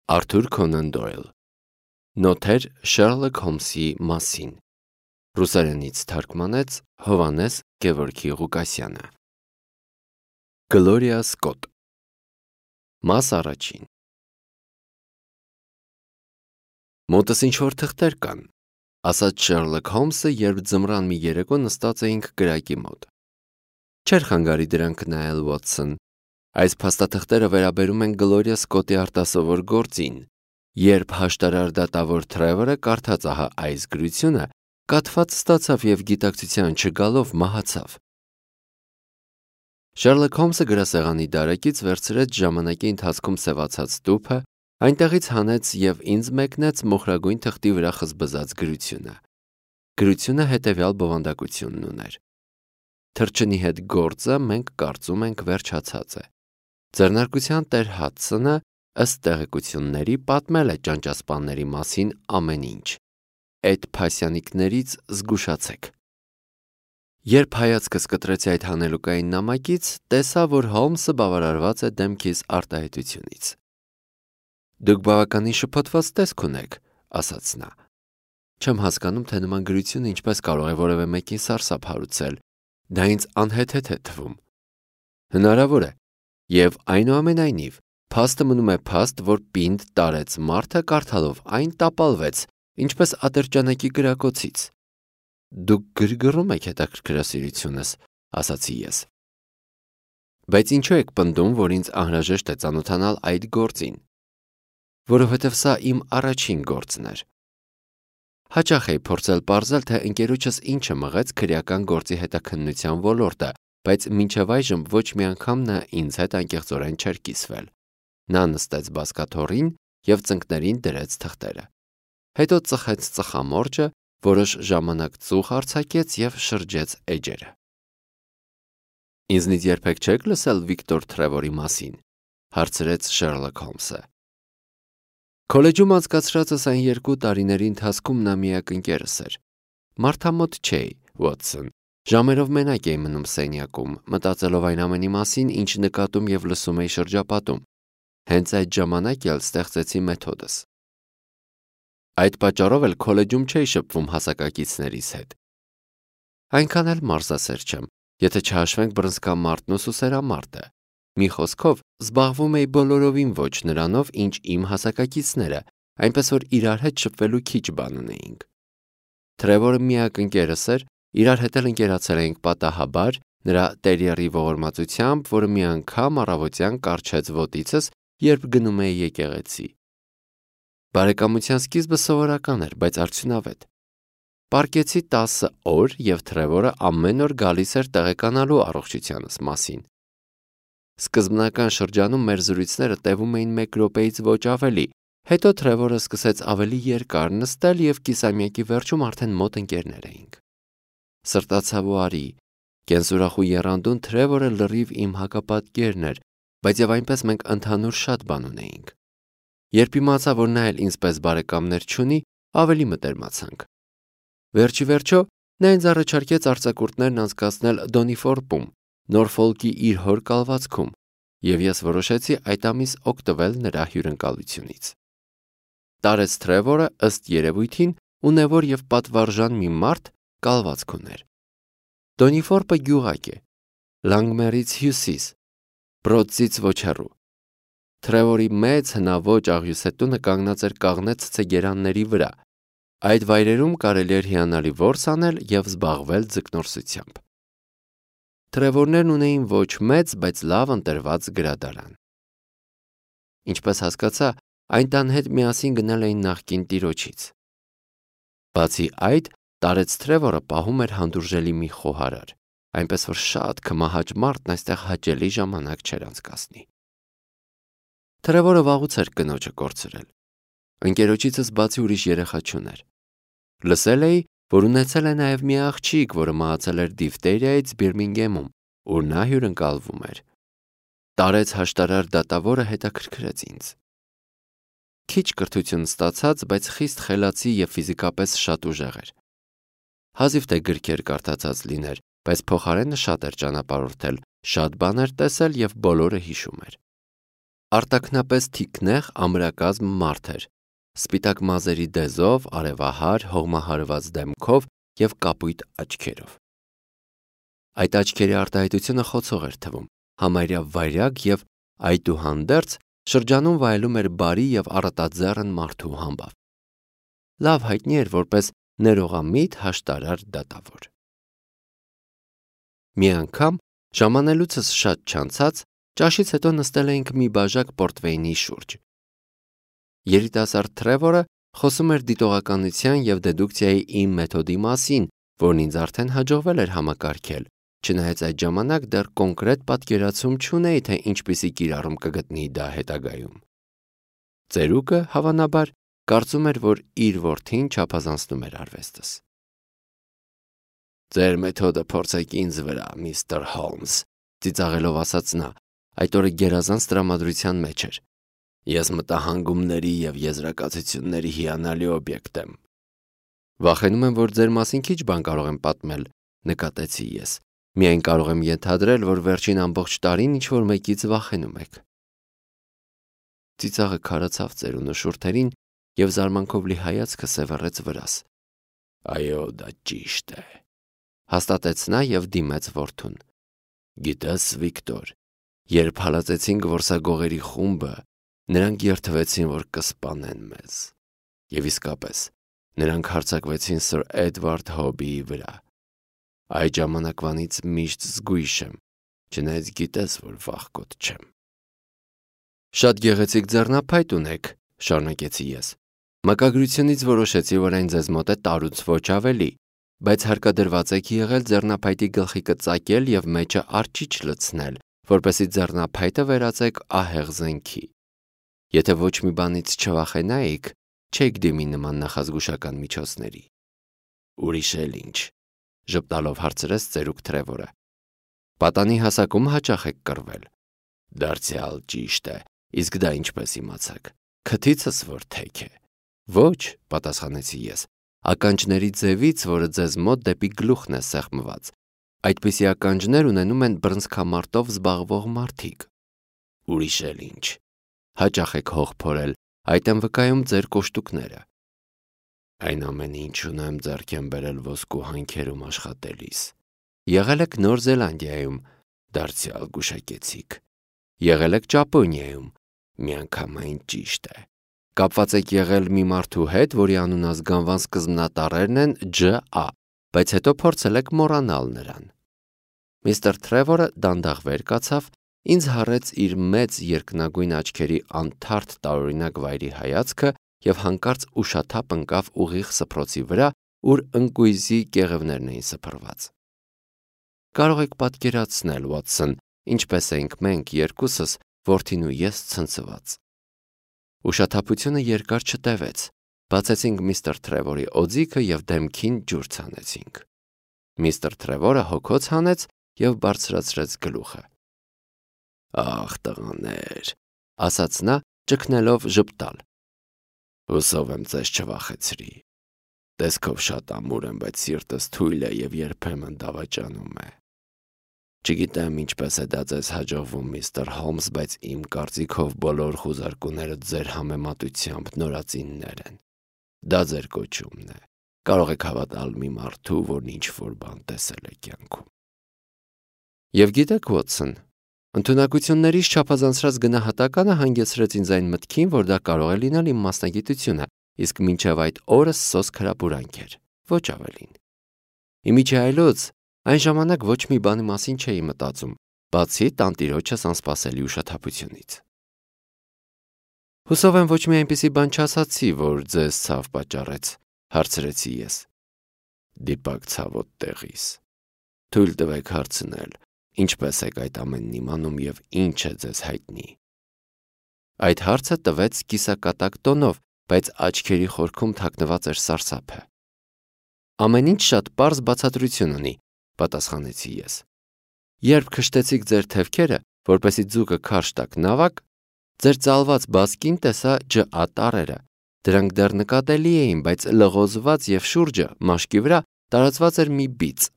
Արթուր Քոնան Դոյլ Նոթեր Շերլոք Հոլմսի մասին Ռուսերենից թարգմանեց Հովհաննես Գևորգի Ղուկասյանը Գլորիա Սկոտ Մաս առաջին Մոտս ինչ-որ թղթեր կան, ասաց Շերլոք Հոլմսը, երբ ձմռան մի երեկո նստած էինք գրակի մոտ։ Չէր խանգարի դրանք նայել, Ուոտսոն։ Այս փաստաթղթերը վերաբերում են Գլորիա Սկոտի արտասովոր գործին։ Երբ հաշտարար դատավոր Թրևորը կարդաց ահա այս գրությունը, կաթված ստացավ և գիտակցության չգալով մահացավ։ Շերլոք Հոլմսը գրասեղանի դարակից վերցրեց ժամանակի ընթացքում սևացած տուփը, այնտեղից հանեց և ինձ մեկնեց մոխրագույն թղթի վրա խզբզած գրությունը։ Գրությունը հետևյալ բովանդակությունն ուներ. Թռչնի հետ գործը մենք կարծում ենք վերջացած է։ Ձեռնարկության տեր Հադսոնը ըստ տեղեկությունների պատմել է ճանճասպանների մասին ամեն ինչ։ Այդ փասյանիկներից զգուշացեք։ Երբ հայացքս կտրեցի այդ հանելուկային նամակից, տեսա, որ Հոլմսը բավարարված է դեմքիս արտահայտությունից։ Դուք բավականին շփոթված տեսք ունեք, ասաց նա։ Չեմ հասկանում, թե նման գրությունը ինչպես կարող է որևէ մեկին սարսափ հարուցել։ Դա ինձ անհեթեթ է թվում։ Հնարավոր է, և այնուամենայնիվ, փաստը մնում է փաստ, որ պինդ տարեց մարդը կարդալով այն տապալվեց, ինչպես ատրճանակի կրակոցից։ Դուք գրգռում եք հետաքրքրասիրությունս, ասացի ես։ Բայց ինչու եք պնդում, որ ինձ անհրաժեշտ է ծանոթանալ այդ գործին։ Որովհետև սա իմ առաջին գործն էր։ Հաճախ էի փորձել պարզել, թե ընկերոջս ինչը մղեց քրեական գործի հետաքննության ոլորտը, բայց մինչև այժմ ոչ մի անգամ նա ինձ հետ անկեղծորեն չէր կիսվել։ Նա նստեց բազկաթոռին և ծնկներին դրեց թղթերը։ Հետո ծխեց ծխամորճը, որոշ ժամանակ ծուխ արձակեց և շրջեց էջերը։ Ինձնից երբեք չեք լսել Վիկտոր Թրևորի մասին, հարցրեց Շերլոք Հոլմսը։ Քոլեջում անցկացրածս այն 2 տարիների ընթացքում նա միակ ընկերս էր։ Մարդամոտ չէի, Ուոտսոն։ Ժամերով մենակ էի մնում սենյակում, մտածելով այն ամենի մասին, ինչ նկատում և լսում էի շրջապատում։ Հենց այդ ժամանակ էլ ստեղծեցի մեթոդս։ Այդ պատճառով էլ քոլեջում չէի շփվում հասակակիցներիս հետ։ Այնքան էլ մարզասեր չեմ, եթե չհաշվենք բռնցքամարտն ու սուսերամարտը։ Մի խոսքով, զբաղվում էի բոլորովին ոչ նրանով, ինչ իմ հասակակիցները, այնպես որ իրար հետ շփվելու քիչ բան ունեինք։ Թրևորը միակ ընկերս էր, իրար հետ էլ ընկերացել էինք պատահաբար, նրա տերիերի ողորմածությամբ, որը մի անգամ առավոտյան կառչեց ոտիցս, երբ գնում էի եկեղեցի։ Բարեկամության սկիզբը սովորական էր, բայց արդյունավետ։ Պառկեցի 10 օր, և Թրևորը ամեն օր գալիս էր տեղեկանալու առողջությանս մասին։ Սկզբնական շրջանում մեր զրույցները տևում էին 1 րոպեից ոչ ավելի, հետո Թրևորը սկսեց ավելի երկար նստել և կիսամյակի վերջում արդեն մոտ ընկերներ էինք։ Սրտացավ ու արի, կենսուրախ ու եռանդուն Թրևորը լրիվ իմ հակապատկերն էր, բայց և այնպես մենք ընդհանուր շատ բան ունեինք։ Երբ իմացա, որ նա էլ ինձ պես բարեկամներ չունի, ավելի մտերմացանք։ Վերջի վերջո, նա ինձ առաջարկեց արձակուրդներն անցկացնել Դոնիֆորպում, Նորֆոլկի իր հոր կալվածքում, և ես որոշեցի այդ ամիս օգտվել նրա հյուրընկալությունից։ Տարեց Թրևորը, ըստ երևույթին, ունևոր և պատվարժան մի մարդ կալվածք ուներ։ Դոնիֆորպը գյուղակ է, Լանգմերից հյուսիս, Բրոդսից ոչ հեռու։ Թրևորի մեծ հնաոճ աղյուսետունը կանգնած էր կաղնե ցցեգերանների վրա։ Այդ վայրերում կարելի էր հիանալի որս անել և զբաղվել ձկնորսությամբ։ Թրևորներն ունեին ոչ մեծ, բայց լավ ընտրված գրադարան։ Ինչպես հասկացա, այն տան հետ միասին գնել էին նախկին տիրոջից։ Բացի այդ, տարեց Թրևորը պահում էր հանդուրժելի մի խոհարար, այնպես որ շատ քմահաճ մարդն այստեղ հաճելի ժամանակ չէր անցկացնի։ Թրևորը վաղուց էր կնոջը կորցրել։ Ընկերոջիցս բացի ուրիշ երեխա չուներ։ Լսել էի, որ ունեցել է նաև մի աղջիկ, որը մահացել էր դիֆթերիայից Բիրմինգեմում, ուր նա հյուրընկալվում էր։ Տարեց հաշտարար դատավորը հետաքրքրեց ինձ։ Քիչ կրթություն ստացած, բայց խիստ խելացի և ֆիզիկապես շատ ուժեղ էր։ Հազիվ թե գրքեր կարդացած լիներ, բայց փոխարենը շատ էր ճանապարհորդել, շատ բաներ տեսել և բոլորը հիշում էր։ Արտաքնապես թիկնեղ ամրակազմ մարդ էր, սպիտակ մազերի դեզով, արևահար, հողմահարված դեմքով և կապույտ աչքերով։ Այդ աչքերի արտահայտությունը խոցող էր թվում, համարյա վայրագ և այդուհանդերձ շրջանում վայելում էր բարի և առատաձեռն մարդու համբավ։ Լավ հայտնի էր որպես ներողամիտ հաշտարար դատավոր։ Մի անգամ, ժամանելուցս շատ չանցած, ճաշից հետո նստել էինք մի բաժակ պորտվեյնի շուրջ։ Երիտասարդ Թրևորը խոսում էր դիտողականության և դեդուկցիայի իմ մեթոդի մասին, որն ինձ արդեն հաջողվել էր համակարգել, չնայած այդ ժամանակ դեռ կոնկրետ պատկերացում չունեի, թե ինչպիսի կիրառում կգտնի դա հետագայում։ Ծերուկը, հավանաբար, կարծում էր, որ իր որդին չափազանցնում էր արվեստս։ «Ձեր մեթոդը փորձեք ինձ վրա, միստր Հոլմս», ծիծաղելով ասաց նա, այդ օրը գերազանց տրամադրության մեջ էր։ Ես մտահանգումների և եզրակացությունների հիանալի օբյեկտ եմ։ Վախենում եմ, որ ձեր մասին քիչ բան կարող եմ պատմել, նկատեցի ես։ Միայն կարող եմ ենթադրել, որ վերջին ամբողջ տարին ինչ-որ մեկից վախենում եք։ Ծիծաղը քարացավ ծերունու շուրթերին և զարմանքով լի հայացքը սևեռեց վրաս։ Այո, դա ճիշտ է, հաստատեց նա և դիմեց որդուն։ Գիտես, Վիկտոր, երբ հալածեցին գորսագողերի խումբը, նրանք երդվեցին, որ կսպանեն մեզ։ Եվ իսկապես, նրանք հարձակվեցին Սր Էդվարդ Հոբիի վրա։ Այդ ժամանակվանից միշտ զգույշ եմ, չնայած գիտես, որ վախկոտ չեմ։ Շատ գեղեցիկ ձեռնափայտ ունեք, շարունակեցի ես։ Մակագրությունից որոշեցի, որ այն ձեզ մոտ է տարուց ոչ ավելի, բայց հարկադրված եք եղել ձեռնափայտի գլխիկը ծակել և մեջը արջիչ լցնել, որպեսզի ձեռնափայտը վերածեք ահեղ զենքի։ Եթե ոչ մի բանից չվախենայիք, չեք դիմի նման նախազգուշական միջոցների։ Ուրիշ էլ ինչ, ժպտալով հարցրեց ծերուկ Թրևորը։ Պատանի հասակում հաճախ եք կռվել։ Դարձյալ ճիշտ է, իսկ դա ինչպես իմացաք։ Քթիցս որ թեք է։ Ոչ, պատասխանեցի ես, ականջների ձևից, որը ձեզ մոտ դեպի գլուխն է սեղմված։ Այդպիսի ականջներ ունենում են բռնցքամարտով զբաղվող մարդիկ։ Ուրիշ էլ ինչ։ Հաճախ եք հող փորել, այդ են վկայում ձեր կոշտուկները։ Այն ամենը, ինչ ունեմ, ձեռք եմ բերել ոսկու հանքերում աշխատելիս։ Եղել եք Նոր Զելանդիայում, դարձյալ գուշակեցիք։ Եղել եք Ճապոնիայում, միանգամայն ճիշտ է։ Կապված եք եղել մի մարդու հետ, որի անունազգանվան սկզբնատառերն են Ջ.A., բայց հետո փորձել եք մոռանալ նրան։ Միստր Թրևորը դանդաղ վեր կացավ, ինձ հարեց իր մեծ երկնագույն աչքերի անթարթ տարօրինակ վայրի հայացքը և հանկարծ ուշաթափ ընկավ ուղիղ սփռոցի վրա, ուր ընկույզի կեղևներն էին սփռված։ Կարող եք պատկերացնել, Ուոտսոն, ինչպես էինք մենք երկուսս, որդին ու ես ցնցված։ Ուշաթափությունը երկար չտևեց, բացեցինք միստր Թրևորի օձիքը և դեմքին ջուր ցանեցինք։ Միստր Թրևորը հոգոց հանեց և բարձրացրեց գլուխը։ Ախ, տղաներ, ասաց նա, ճգնելով ժպտալ։ Հուսով եմ ձեզ չվախեցրի։ Տեսքով շատ ամուր եմ, բայց սիրտս թույլ է և երբեմն դավաճանում է։ Չգիտեմ ինչպես է դա ձեզ հաջողվում, միստր Հոլմս, բայց իմ կարծիքով բոլոր խուզարկուները ձեր համեմատությամբ նորածիններ են։ Դա ձեր կոչումն է։ Կարող եք հավատալ մի մարդու, որն ինչ-որ բան տեսել է կյանքում։ Եվ գիտեք, Ուոտսոն, ընդունակություններից չափազանցրած գնահատականը հանգեցրեց ինձ այն մտքին, որ դա կարող է լինել իմ մասնագիտությունը, իսկ մինչև այդ օրս սոսկ հրապուրանք էր, ոչ ավելին։ Իմիջիայլոց այն ժամանակ ոչ մի բանի մասին չէի մտածում, բացի տանտիրոջս անսպասելի ուշաթափությունից։ Հուսով եմ ոչ մի այնպիսի բան չասացի, որ ձեզ ցավ պատճառեց, հարցրեցի ես։ Դիպակ ցավոտ տեղիս։ Թույլ տվեք հարցնել, ինչպես եք այդ ամենն իմանում և ինչ է ձեզ հայտնի։ Այդ հարցը տվեց կիսակատակ տոնով, բայց աչքերի խորքում թաքնված էր սարսափը։ Ամեն ինչ շատ պարզ բացատրություն ունի, պատասխանեցի ես։ Երբ քշտեցիք ձեր թևքերը, որպեսզի ձուկը քարշ տաք նավակ, ձեր ծալված բասկին տեսա Ջ.A. տառերը։ Դրանք դեռ նկատելի էին, բայց լղոզված և շուրջը, մաշկի վրա, տարածված էր մի բիծ։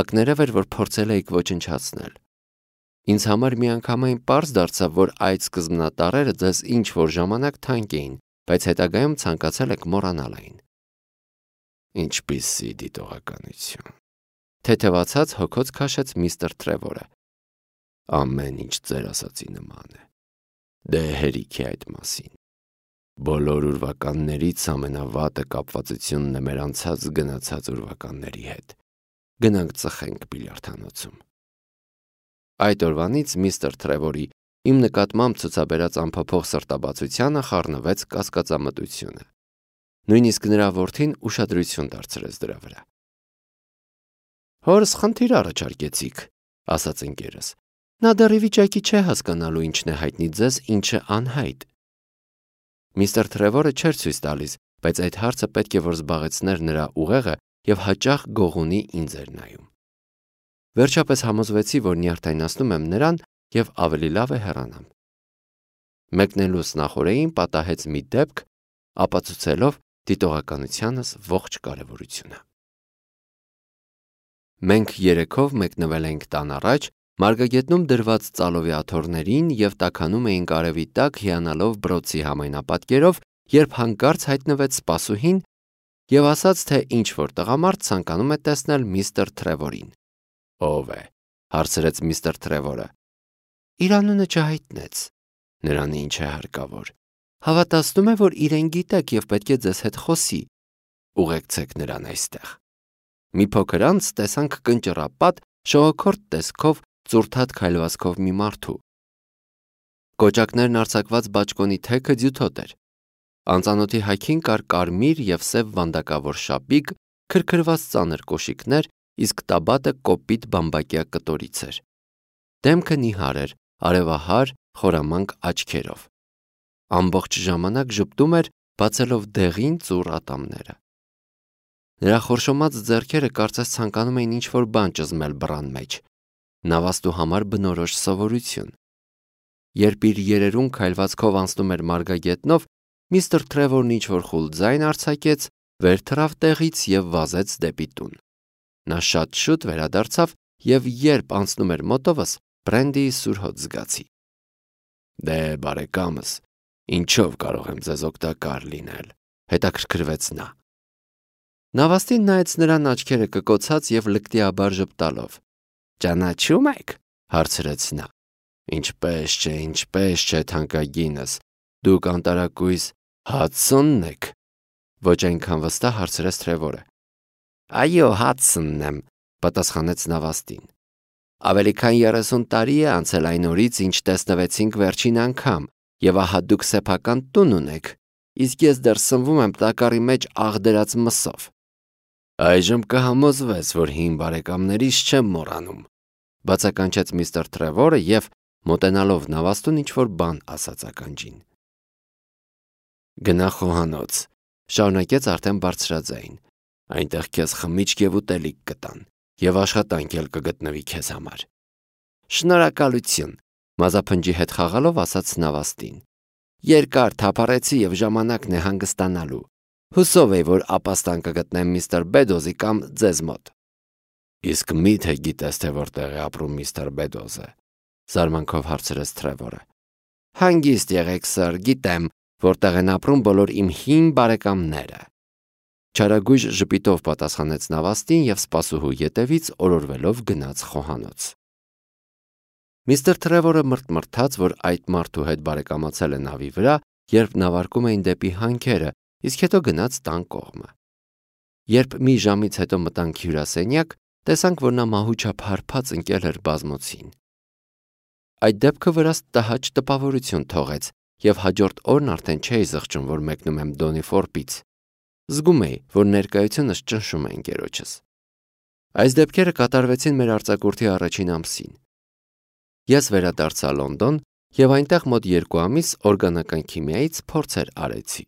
Ակներև էր, որ փորձել էիք ոչնչացնել։ Ինձ համար միանգամայն պարզ դարձավ, որ այդ սկզբնատառերը ձեզ ինչ-որ ժամանակ թանկ էին, բայց հետագայում ցանկացել եք մոռանալ այն։ Ինչպիսի դիտողականություն։ Թեթևացած հոգոց քաշեց միստր Թրևորը։ Ամեն ինչ ձեր ասացի նման է։ Դե հերիք է այդ մասին։ Բոլոր ուրվականներից ամենավատը կապվածությունն է մեր անցած գնացած ուրվականների հետ։ Գնանք ծխենք բիլիարդանոցում։ Այդ օրվանից միստր Թրևորի իմ նկատմամբ ցուցաբերած անփոփոխ սրտաբացությանը խառնվեց կասկածամտությունը։ Նույնիսկ նրա որդին ուշադրություն դարձրեց դրա վրա։ Հորս խնդիր առաջարկեցիք, ասաց ընկերս։ Նա դեռ ի վիճակի չէ հասկանալու ինչն է հայտնի ձեզ, ինչը անհայտ։ Միստր Թրևորը չէր ցույց տալիս, բայց այդ հարցը պետք է որ զբաղեցներ նրա ուղեղը եւ հաճախ գողունի ինձ էր նայում։ Վերջապես համոզվեցի, որ նյարդայնացնում եմ նրան եւ ավելի լավ է հեռանամ։ Մեկնելուց նախօրեին պատահեց մի դեպք, ապացուցելով դիտողականությանս ողջ կարևորությունը։ Մենք երեքով մեկնվել ենք տան առաջ, մարգագետնում դրված ծալովի աթոռներին եւ տաքանում էինք արևի տակ հիանալով բրոցի համայնապատկերով, երբ հանկարծ հայտնվեց սպասուհին եւ ասաց, թե ինչ-որ տղամարդ ցանկանում է տեսնել միստր Թրևորին։ Ով է, հարցրեց միստր Թրևորը։ Իր անունը չհայտնեց։ Նրան ինչ է հարկավոր։ Հավատացնում է, որ իրեն գիտեք եւ պետք է ձեզ հետ խոսի։ Ուղեկցեք նրան այստեղ։ Մի փոքր անց տեսանք կնճռապատ, շողոքորթ տեսքով, ծուրթատ քայլվածքով մի մարդու։ Կոճակներն արձակված բաճկոնի թեքը ձյութոտ էր։ Անծանոթի հայքին կար կարմիր եւ սև վանդակավոր շապիկ, քրքրված ծանր կոշիկներ, իսկ տաբատը կոպիտ բամբակյա կտորից էր։ Դեմքը նիհար էր, արևահար, խորամանկ աչքերով։ Ամբողջ ժամանակ ժպտում էր, բացելով դեղին ծուռ ատամները։ Նրա խորշոմած ձեռքերը կարծես ցանկանում էին ինչ-որ բան ճզմել բռան մեջ։ Նավաստու համար բնորոշ սովորություն։ Երբ իր երերուն քայլվածքով անցնում էր մարգագետնով, միստր Թրևորն ինչ-որ խուլ ձայն արձակեց, վեր թռավ տեղից եւ վազեց դեպի տուն։ Նա շատ շուտ վերադարձավ եւ երբ անցնում էր մոտովս, բրենդիի սուր հոտ զգացի։ Դե բարեկամս, ինչով կարող եմ ձեզ օգտակար լինել, հետաքրքրվեց նա։ Նավաստին նայեց նրան աչքերը կկոցած եւ լկտիաբար ժպտալով։ Ճանաչում եք, հարցրեց նա։ Ինչպես չէ, թանկագինս, դուք անտարակույս Հադսոնն եք։ Ոչ այնքան վստահ հարցրեց Թրևորը։ Այո, Հադսոնն եմ, պատասխանեց նավաստին։ Ավելի քան 30 տարի է անցել այն օրից, ինչ տեսնվեցինք վերջին անգամ, եւ ահա դուք սեփական տուն ունեք, իսկ ես դեռ սնվում եմ տակառի մեջ աղդերած մսով։ Այժմ կհամոզվես, որ հին բարեկամներիս չեմ մոռանում, բացականչեց միստր Թրևորը եւ մոտենալով նավաստուն ինչ-որ բան ասաց ականջին։ Գնա խոհանոց, շարունակեց արդեն բարձրաձայն։ Այնտեղ քեզ խմիչք եւ ուտելիք կտան, եւ աշխատանք էլ կգտնվի քեզ համար։ Շնորհակալություն, մազափնջի հետ խաղալով ասաց նավաստին։ Երկար թափառեցի եւ ժամանակն է հանգստանալու։ Հուսով եմ, որ ապաստան կգտնեմ միստր Բեդոզի կամ ձեզ մոտ։ Իսկ միթե գիտես, թե որտեղ է ապրում միստր Բեդոզը, զարմանքով հարցրեց Թրևորը։ Հանգիստ եղեք, սր, գիտեմ, որտեղ են ապրում բոլոր իմ հին բարեկամները։ Չարագույժ ժպիտով պատասխանեց նավաստին եւ սպասուհու ետևից օրորվելով գնաց խոհանոց։ Միստր Թրևորը մրթմրթաց, որ այդ մարդու հետ բարեկամացել է նավի վրա, երբ նավարկում էին դեպի հանքերը, իսկ հետո գնաց տան կողմը։ Երբ մի ժամից հետո մտանք հյուրասենյակ, տեսանք, որ նա մահուչափ հարբած ընկել էր բազմոցին։ Այդ դեպքը վրաս տհաճ տպավորություն թողեց, եւ հաջորդ օրն արդեն չէի զղջում, որ մեկնում եմ Դոնի Ֆորպից։ Զգում էի, որ ներկայությունս ճնշում է ընկերոջս։ Այս դեպքերը կատարվեցին մեր արձակուրդի առաջին ամսին։ Ես վերադարձա Լոնդոն եւ այնտեղ մոտ 2 ամիս օրգանական քիմիայից փորձեր արեցի։